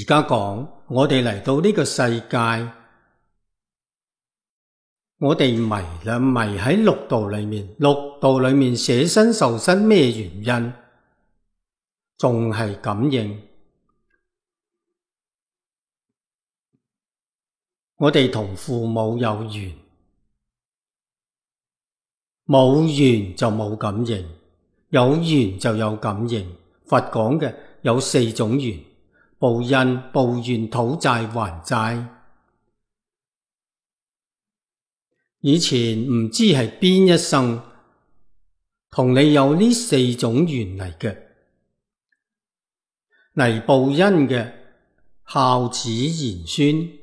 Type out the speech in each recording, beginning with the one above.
家講，我哋嚟到呢個世界，我哋迷啦，迷喺六道裏面。六道裏面捨身受身咩原因？仲係感應。我哋同父母有緣，冇緣就冇感應，有緣就有感應。佛講嘅有四種緣：報恩、報怨、討債、還債。以前唔知係邊一生同你有呢四種緣嚟嘅。嚟報恩嘅孝子賢孫，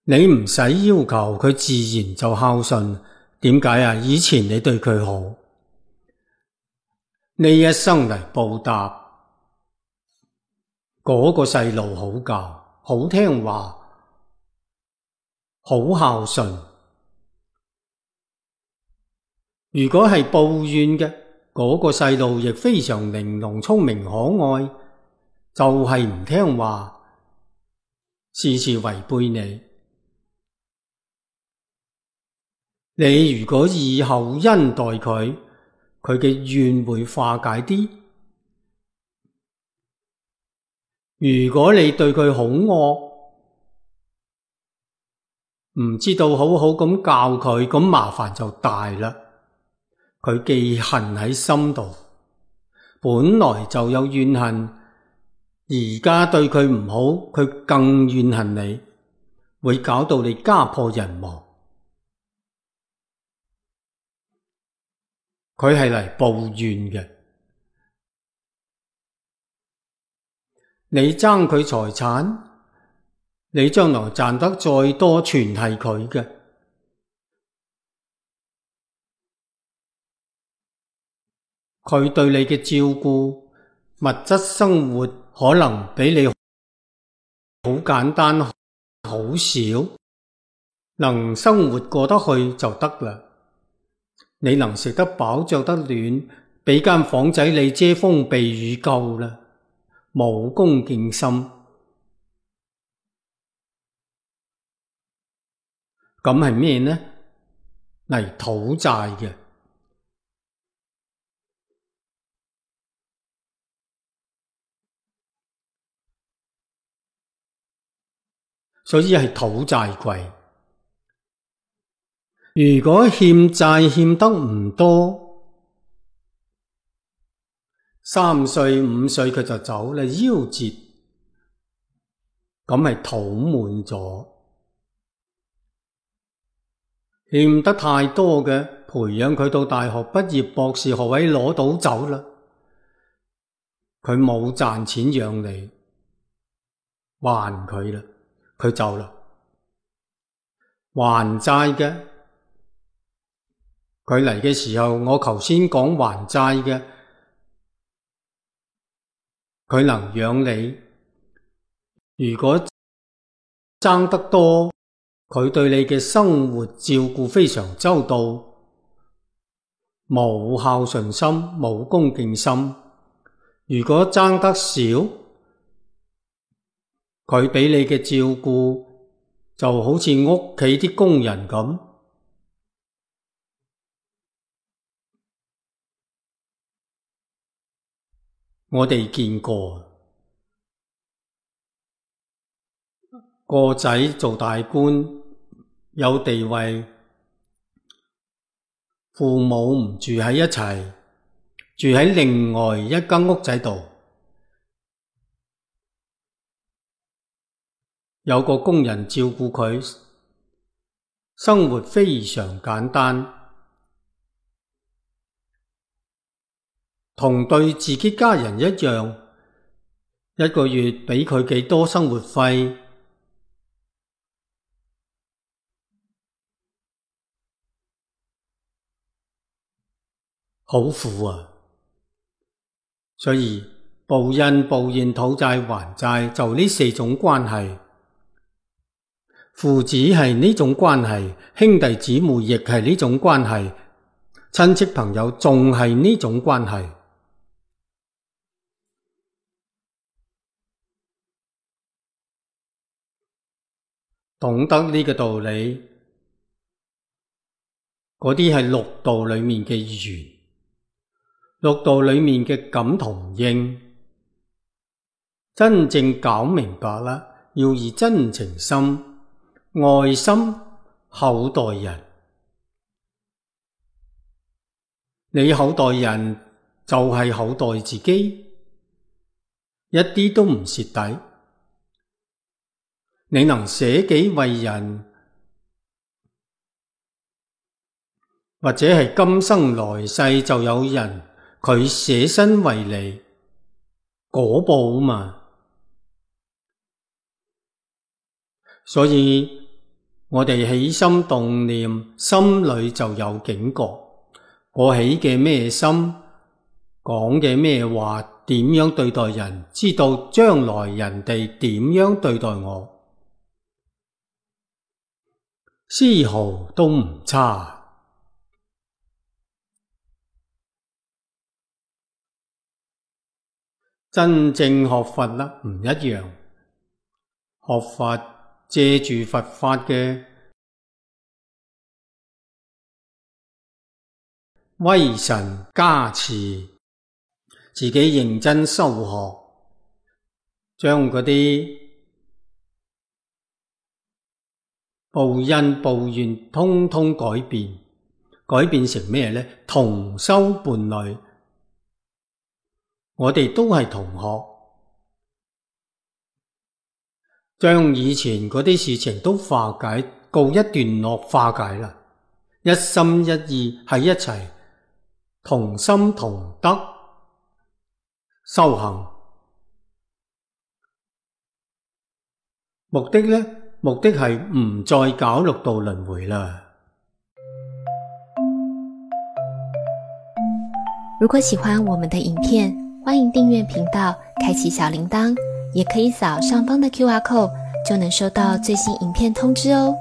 你唔使要求佢自然就孝順。點解啊？以前你對佢好，呢一生嚟報答，嗰個細路好教，好聽話，好孝順。如果係報怨嘅，嗰個細路亦非常玲瓏聰明可愛，就係唔聽話，事事違背你。你如果以厚恩待佢，佢嘅怨會化解啲。如果你對佢好惡，唔知道好好咁教佢，咁麻煩就大啦。佢記恨喺心度，本來就有怨恨，而家對佢唔好，佢更怨恨你，會搞到你家破人亡。佢係嚟報怨嘅，你爭佢財產，你將來賺得再多，全係佢嘅。佢對你嘅照顧，物質生活可能比你好簡單，好少，能生活過得去就得啦。你能食得飽，着得暖，俾間房仔你遮風避雨夠啦，冇恭敬心。咁係咩呢？嚟討債嘅。所以係討債貴。如果欠債欠得唔多，3歲5歲佢就走啦，夭折，咁係討滿咗。欠得太多嘅，培養佢到大學畢業，博士學位攞到走啦，佢冇賺錢養你，還佢啦，佢走啦。還債嘅，佢嚟嘅時候，我頭先講還債嘅，佢能養你。如果爭得多，佢對你嘅生活照顧非常周到，冇孝順心，冇恭敬心。如果爭得少，佢俾你嘅照顧就好似屋企啲工人咁。我哋見過個仔做大官，有地位，父母唔住喺一齊，住喺另外一間屋仔度。有個工人照顧佢，生活非常簡單，同對自己家人一樣，一個月俾佢幾多生活費，好苦啊！所以報恩、報怨、討債、還債就呢四種關係。父子係呢種關係，兄弟姊妹亦係呢種關係，親戚朋友仲係呢種關係。懂得呢個道理，嗰啲係六道裏面嘅緣，六道裏面嘅感同應，真正搞明白啦，要以真情心、愛心厚待人。你厚待人就係厚待自己，一啲都唔蝕底。你能捨己為人，或者係今生來世就有人佢捨身為你，果報嘛。所以我哋起心動念，心裏就有警覺。我起嘅咩心，講嘅咩話，點樣對待人，知道將來人哋點樣對待我，絲毫都唔差。真正學佛啦，唔一樣。學佛借住佛法嘅威神加持，自己認真修學，將嗰啲報恩報怨通通改變，改變成咩呢？同修伴侶，我哋都係同學，將以前嗰啲事情都化解，告一段落，化解啦，一心一意喺一齊，同心同德修行。目的呢？目的係唔再搞六道輪迴啦。如果喜歡我們的影片，歡迎訂閱頻道，開啟小鈴鐺，也可以掃上方的QR code，就能收到最新影片通知哦。